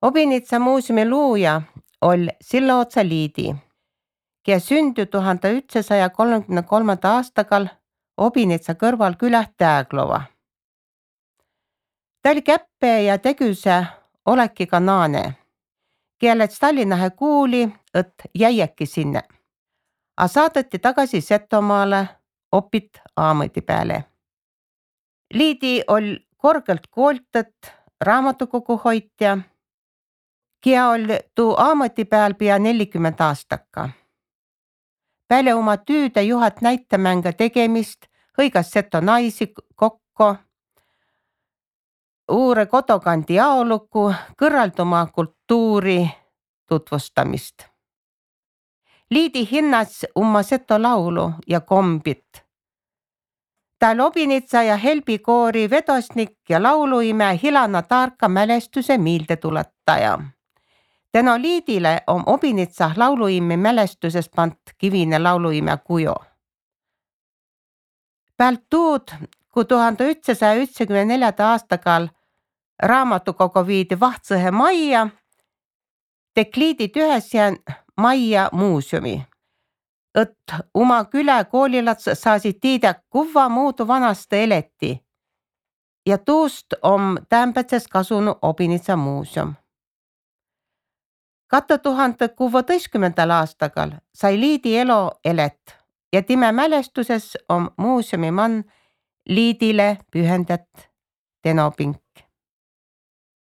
Obinitsa muuseumi luuja oli Sillaotsa Liidi, kes sündü 1933. aastakal Obinitsa kõrval küläh Tääglova. Ta oli käppe ja tegüse olekiga naane, keelets Tallinnahe kuuli, et jäiäki sinne, a saadeti tagasi Setomaale opit aamõti peale. Liidi oli korgelt kooltet raamatukogu hoitja, kia oli tuu aamõti peal pea 40 aastaka. Peale oma tüüde juhat näitamänga tegemist hõigas Seto naisi kokko, uure kodokandi aoluku, kõrralduma kultuuri tutvustamist. Liidi hinnas umma Seto laulu ja kombit. Ta oli Obinitsa ja Helbi koori vedosnik ja lauluime Hilana Taarka mälestuse miildetuletaja. Tänu Liidile on Obinitsa lauluimi mälestuses pant kivine lauluime kujo. Pealt tuud, kui 1994. aastakal raamatukogu viidi Vahtsõhe majja, tek Liidi tühäsjän majja muuseumi, et uma külä koolilats saasid tiidä, kuvva muudu vanasti eleti. Ja tuust on täämbätses kasunu Obinitsa muuseum. 2016. aastakal sai Liidi elo elet ja time mälestuses on muuseumi man Liidile pühendat tenopink.